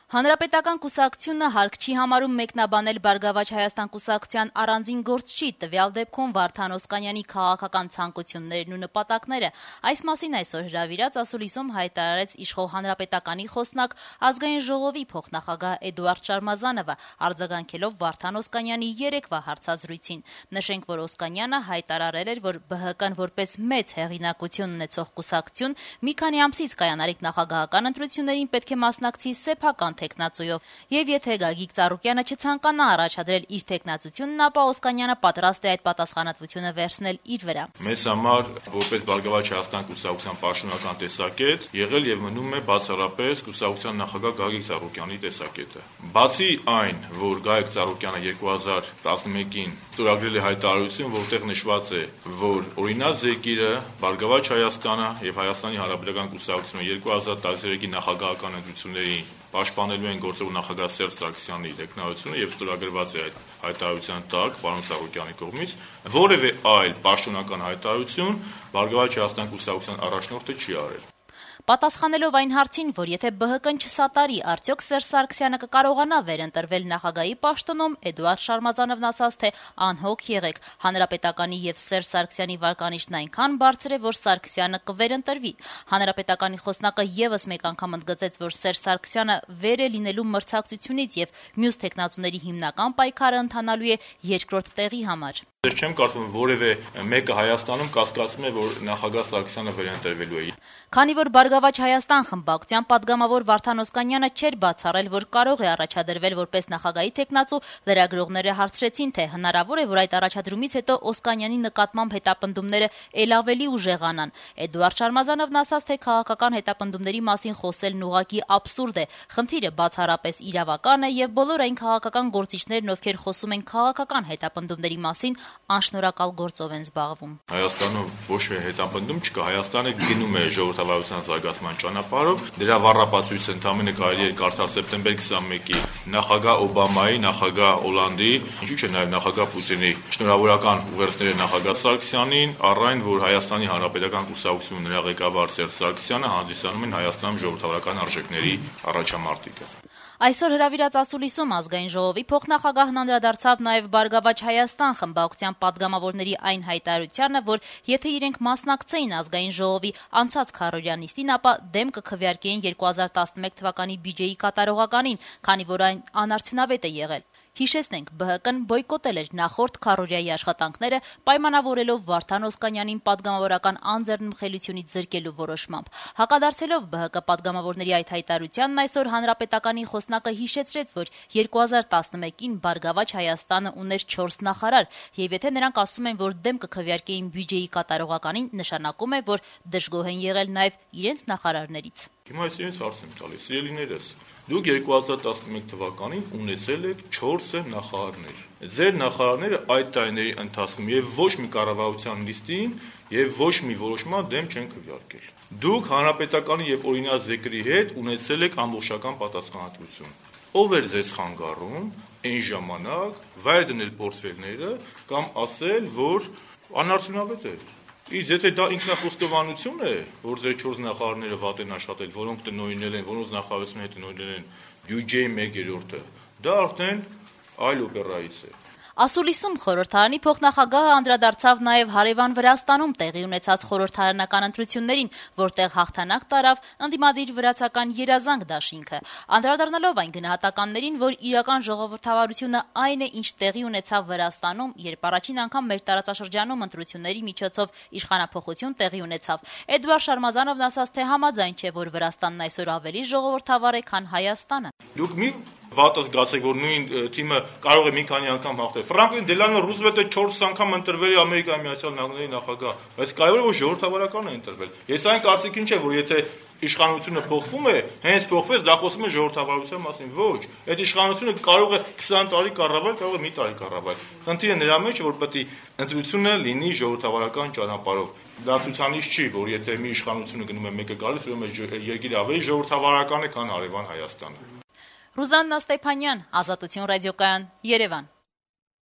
Հանրապետական կուսակցությունը հարկ չի համարում մեկնաբանել Բարգավաճ Հայաստան կուսակցության առանձին գործչի, տվյալ դեպքում Վարդան Օսկանյանի քաղաքական ցանկություններն ու նպատակները։ Այս մասին այսօր հրավիրած ասուլիսում հայտարարեց իշխող Հանրապետականի խոսնակ Ազգային ժողովի փոխնախագահ Էդուարդ Շարմազանովը, արձագանքելով Վարդան Օսկանյանի երեկվա հարցազրույցին։ Նշենք, որ Օսկանյանը հայտարարել էր, որ ԲՀԿ-ն որպես մեծ հեղինակություն ունեցող կուսակցություն մի քանի ամսից կայանալիք նախագահական ընտրություններին պետք է մասնակցի սեփական թեկնածուով, եւ եթե Գագիկ Ծառուկյանը չցանկանա առաջադրել իր թեկնածությունն, ապա Օսկանյանը պատրաստ է այդ պատասխանատվությունը վերցնել իր վրա։ Մեզ համար, որպես Բարգավաճ Հայաստան կուսակցության պաշտոնական տեսակետ, եղել եւ մնում է բացառապես կուսակցության նախագահ Գագիկ Ծառուկյանի տեսակետը։ Բացի այն, որ Գագիկ Ծառուկյանը 2011-ին ստորագրել է հայտարարություն, որտեղ նշված է, որ օրինակ զեկիրը Բարգավաճ Հայաստանը եւ Հայաստանի Հանրապետական կուսակցությունը 2013-ի նախագահական ընտրություններին պաշտպանելու են գործող նախագահ Սերժ Սարգսյանի տեխնայությունը եւ ստորագրված է այդ հայտարարության տակ պարոն Ծառուկյանի կողմից որևէ այլ պաշտոնական հայտարարություն Բարգավաճ Հայաստան կուսակցության առաջնորդը չի արել։ Պատասխանելով այն հարցին, որ եթե ԲՀԿ-ն չսատարի, արդյոք Սերժ Սարգսյանը կկարողանա վերընտրվել նախագահի պաշտոնում, Էդուարդ Շարմազանովն ասաց, թե անհոգ եղեք, Հանրապետականի եւ Սերժ Սարգսյանի վարկանիշն այնքան բարձր է, որ Սարգսյանը կվերընտրվի։ Հանրապետականի խոսնակը եւս մեկ անգամ ընդգծեց, որ Սերժ Սարգսյանը վեր է լինելու մրցակցությունից եւ մյուս տեխնացուների հիմնական պայքարը ընթանալու է երկրորդ տեղի համար։ Ես չեմ կարծում, որևէ մեկը Հայաստանում կասկածում է, որ նախագահ Սարգսյանը վերընտրվելու է։ Քանի որ Բարգավաճ Հայաստան խմբակցության падգամավոր Վարդան Օսկանյանը չէր բացառել, որ կարող է առաջադրվել որպես նախագահի թեկնածու, լրագրողները հարցրեցին, թե հնարավոր է, որ այդ առաջադրումից հետո Օսկանյանի նկատմամբ հետապնդումները ել ավելի ուժեղանան։ Էդուարդ Շարմազանովն ասաց, թե քաղաքական հետապնդումների մասին խոսելն ուղղակի աբսուրդ է։ Խնդիրը բացառապես իրավական է եւ բոլոր այն քաղաքական գործիչներն, ովքեր խոսում են քաղաքական հետապնդումների մասին, անշնորհակալ գործով են զբաղվում։ Հայաստանում ոչ մի հետապնդում չկա, Հայաստանը գնում է ժողովրդավարության զարգացման ճանապարհով, դրա վառապատույցը ընդամենը կարելի է կարդալ սեպտեմբեր 21-ի նախագահ Օբամայի, նախագահ Օլանդի, ինչու՞ չէ նաև նախագահ Պուտինի շնորհավորական ուղերձները նախագահ Սարգսյանին, առ այն, որ Հայաստանի Հանրապետական կուսակցությունը նրա ղեկավար Սերժ Սարգսյանը հանդիսանում են Հայաստանում ժողովրդավարական արժեքների առաջամարտիկը։ Այսօր հրավիրած ասուլիսում Ազգային ժողովի փոխնախագահն անդրադարձավ նաև Բարգավաճ Հայաստան խմբակցության падգամավորների այն հայտարարությանը, որ եթե իրենք մասնակցեին Ազգային ժողովի անցած քառօրյա նիստին, ապա դեմ կքվեարկեին 2011 թվականի բյուջեի կատարողականին, քանի որ այն անարդյունավետ է եղել։ Հիշեցնենք, ԲՀԿ-ն բոյկոտել էր նախորդ քառօրյայի աշխատանքները, պայմանավորելով Վարդան Օսկանյանին падգամավորական անձեռնմխելիությունից զրկելու որոշմամբ։ Հակադարձելով ԲՀԿ падգամավորների այդ հայտարարությանն այսօր Հանրապետականի խոսնակը հիշեցրեց, որ 2011-ին Բարգավաճ Հայաստանը ուներ 4 նախարար, եւ եթե նրանք ասում են, որ դեմ կքվեարկեին բյուջեի կատարողականին, նշանակում է, որ դժգոհ են եղել նաեւ իրենց նախարարներից։ Հիմա ես իրենց հարց եմ տալիս, սիրելիներս, դուք 2011 թվականին ունեցել եք 4 նախարարներ։ Ձեր նախարարները այդ տարիների ընթացքում եւ ոչ մի կառավարության նիստին եւ ոչ մի որոշման դեմ չեն քվեարկել։ Դուք Հանրապետականի եւ օրինակ զեկրի հետ ունեցել եք ամբողջական պատասխանատվություն։ Ով էր ձեզ խանգարում այն ժամանակ վայր դնել պորտֆելները կամ ասել, որ անարդյունավետ է։ Իսկ եթե դա ինքնախոստովանություն է, որ ձեր 4 նախարարները վատ են աշխատել, որոնք տնօրինել են, որոնց նախարարությունը հետ տնօրինել են բյուջեի 1/3-ը, դա արդեն այլ օպերայից է։ Ասուլիսում խորհրդարանի փոխնախագահը անդրադարձավ նաև հարևան Վրաստանում տեղի ունեցած խորհրդարանական ընտրություններին, որտեղ հաղթանակ տարավ ընդդիմադիր վրացական երազանք դաշինքը, անդրադառնալով այն գնահատականներին, որ իրական ժողովրդավարությունը այն է, ինչ տեղի ունեցավ Վրաստանում, երբ առաջին անգամ մեր տարածաշրջանում ընտրությունների միջոցով իշխանափոխություն տեղի ունեցավ։ Էդուարդ Շարմազանովն ասաց, թե համաձայն չէ, որ Վրաստանն այսօր ավելի ժողովրդավար է, քան Հայաստանը։ Դուք մի վատը զգացեք, որ նույն թիմը կարող է մի քանի անգամ հաղթել։ Ֆրանկլին Դելանո Ռուզվելտը 4 անգամ ընտրվել է Ամերիկայի Միացյալ Նահանգների նախագահ, բայց կարևորը որ ժողովրդավարական է ընտրվել։ Ես այն կարծիքին չէ, որ եթե իշխանությունը փոխվում է, հենց փոխվեց, դա խոսում է ժողովրդավարության մասին։ Ոչ, այդ իշխանությունը կարող է 20 տարի կառավարել, կարող է մի տարի կառավարել։ Խնդիրը նրա մեջ է, որ պետք է ընտրությունը լինի ժողովրդավարական ճանապարհով։ Դա ցուցանիշ չի, որ եթե մի իշխանությունը գնում է մեկը գալիս, ուրեմն երկիրը ավելի ժողովրդավարական է, քան հարևան Հայաստանը։ Ռուզաննա Ստեփանյան, Ազատություն ռադիոկայան, Երևան։